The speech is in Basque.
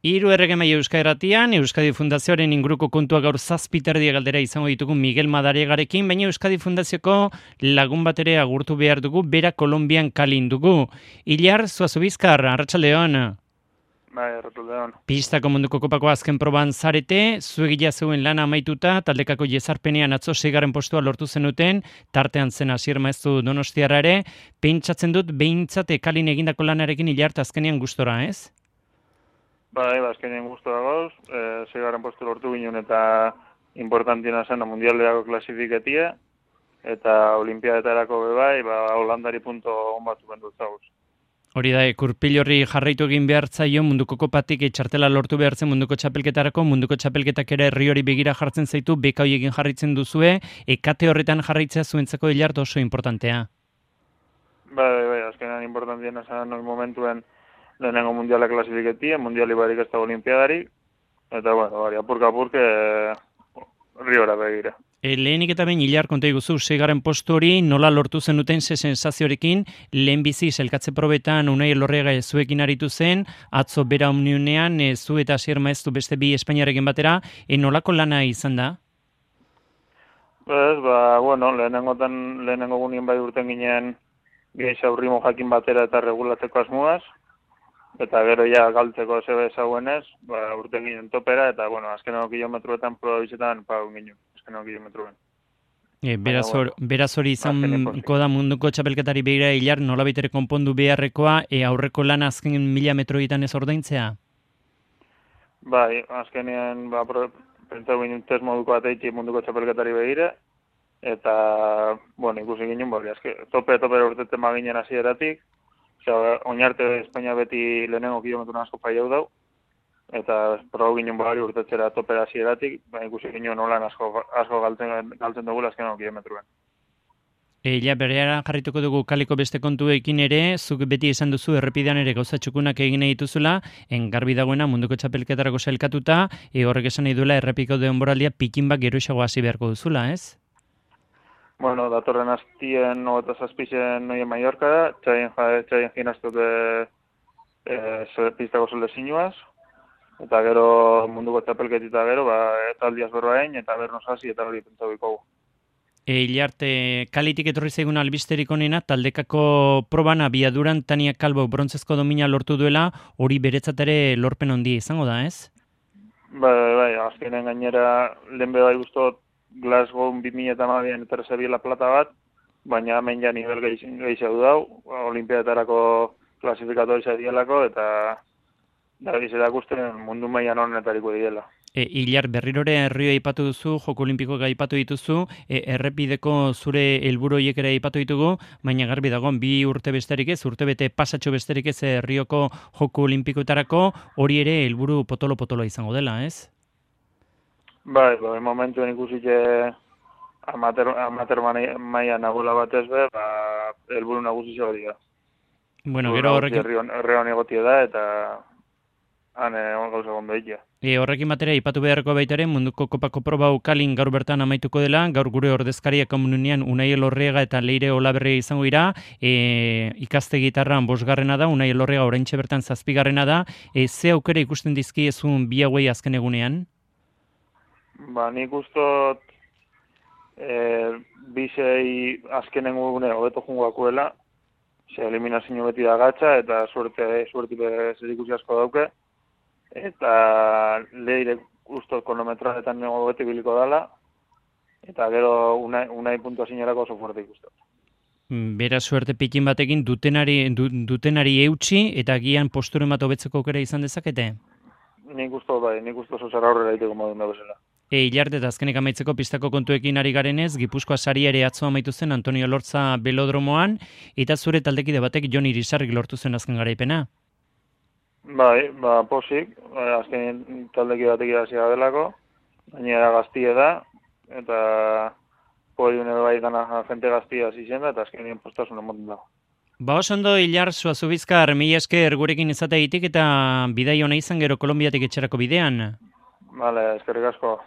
Hiru erregemaile Euskadi Euskadi Fundazioaren inguruko kontua gaur 7:30 galdera izango ditugu Miguel Madariagarekin, baina Euskadi Fundazioko lagun bat ere agurtu behar dugu, bera Kolonbian kalin dugu. Ilar Zuazubizkar, arratsaldeon. Bai, arratsaldeon. Pistako munduko kopako azken proban zarete, zuegia zeuen lana amaituta, taldekako jezarpenean atzo 6. postua lortu zenuten, tartean zen Asier Maeztu Donostiarra ere, pentsatzen dut behintzat kalin egindako lanarekin Ilar azkenean gustora, ez? Bai, azkenean gustora gauz, 6. postu lortu ginen eta importantiena zen mundialerako klasifiketia, eta olimpiadetarako bai, Holandari punto on bat bendu zauz. Hori da, Kurpil horri jarraitu egin behar zaio munduko kopatik txartela lortu behar zen munduko txapelketarako, munduko txapelketak ere herri hori begira jartzen zaitu, beka horiekin jarraitzen duzue, kate horretan jarraitzea zuentzako Hilart oso importantea. Bai, azkenean importantiena zen momentuen lehenengo mundiala klasifiketia, mundiali barik ez da olimpiadarik, eta apurka-apurke riora begira. Lehenik eta behin Ilar konta iguzu, 6. postu hori nola lortu zenuten ze sensaziorekin, lehenbizi elkatze probetan Unai Elorriaga zuekin aritu zen, atzo bera omniunean, zu eta Asier Maeztu beste bi Espainiarekin batera, nolako lana izan da? Lehenengo gunien bai urten ginen gehiago ritmo jakin batera eta regulatzeko asmuaz, eta gero ja galtzeko zebe zauenez, urten ginen topera, eta azkeneko kilometruetan probizetan pagun ginen, azkeneko kilometruen. Beraz hori izango da munduko txapelketari begira Ilar nolabait ere konpondu beharrekoa, aurreko lana azken 1000 metroetan ez ordaintzea? Bai, azkenean pentsau ginen test moduko ateitzi munduko txapelketari begira, eta, ikusi ginen, tope urtetzen maginen hasieratik, oinarte Espainia beti lehenengo kilometruen asko paiau dau, eta proba ginen bari urtetzera topera hasieratik, ikusi ginen nolan asko galtzen dugu azkeneko kilometruen. Bereara jarrituko dugu kaliko beste kontuekin ere, zuk beti esan duzu errepidean ere gauza txukunak egin nahi dituzula, garbi dagoena munduko txapelketarako sailkatuta, horrek esan nahi duela errepiko denboraldia pikin bat geroxago hasi beharko duzula, ez? Datorren hastien 27 noien Mallorca da, txaien ginaztuk pistako solezinuaz, eta gero munduko txapelketita gero, taldiaz berroain, eta bernoz hasi, eta hori pentsau ikogu. Hilarte, kalitik etorri zaigun albisterik onena, taldekako proban abiaduran Tania Kalbo brontzezko domina lortu duela, hori beretzat ere lorpen handia izango da, ez? Bai, azkenen gainera lehen bai guztot Glasgow 2012an eterzebiela plata bat, baina hemen ja nivel gehiago dau, olimpiadetarako klasifikatu izadielako, eta dabizerak usten mundu mailan honetariko diela. Ilar, berrirore herrioa aipatu duzu, Joko Olimpikoak aipatu dituzu, errepideko zure helburu horiek ere aipatu ditugu, baina garbi dagoen 2 urte besterik ez, urtebete pasatxo besterik ez herrioko Joko Olimpikoetarako, hori ere helburu potolo-potoloa izango dela, ez? Bai, momentuen ikusitxe amater maia nagoela batez be, helburu nagusizio dira. Gero horrekin... Herrion egotie da, eta gauza gondo egitea. Horrekin batera, ipatu beharko baitaren, munduko kopako proba ukalin gaur bertan amaituko dela, gaur gure ordezkaria komuninean Unai Elorriaga eta Leire Olaberria izango dira, ikaste gitarran 5. da, Unai Elorriaga oraintxe bertan 7. da, ze aukera ikusten dizkiezun bi hauei azken egunean? Nik ustot bisei azkenen gune hobeto jungoakuela, eliminazio beti da gatsa, eta suerte zerikusi asko dauke, eta Leire ustot kronometroetan beti biliko dala, eta gero unai puntuazionerako oso fuerte ikustot. Bera suerte pikin batekin dutenari eutxi, eta gian posturen bat hobetzeko aukera izan dezakete? Nik usto zozera aurrera egiteko modun da bezala. Hilarte eta azkenik amaitzeko pistako kontuekin ari garenez, Gipuzkoa sari ere atzo amaitu zen Antonio Lortza belodromoan, eta zure taldekide batek Jon Irisarrik lortu zen azken garaipena. Bai, posik, azken taldekide batek idazia delako, gainera gaztie da, eta podiune bai gana jente gaztia zizen da, eta azkenien postasun emoten dago. Oso ondo, Ilar Zuazubizkar, mila esker gurekin izateagitik eta bidai ona izan gero Kolonbiatik etxerako bidean. Vale, eskerrik asko.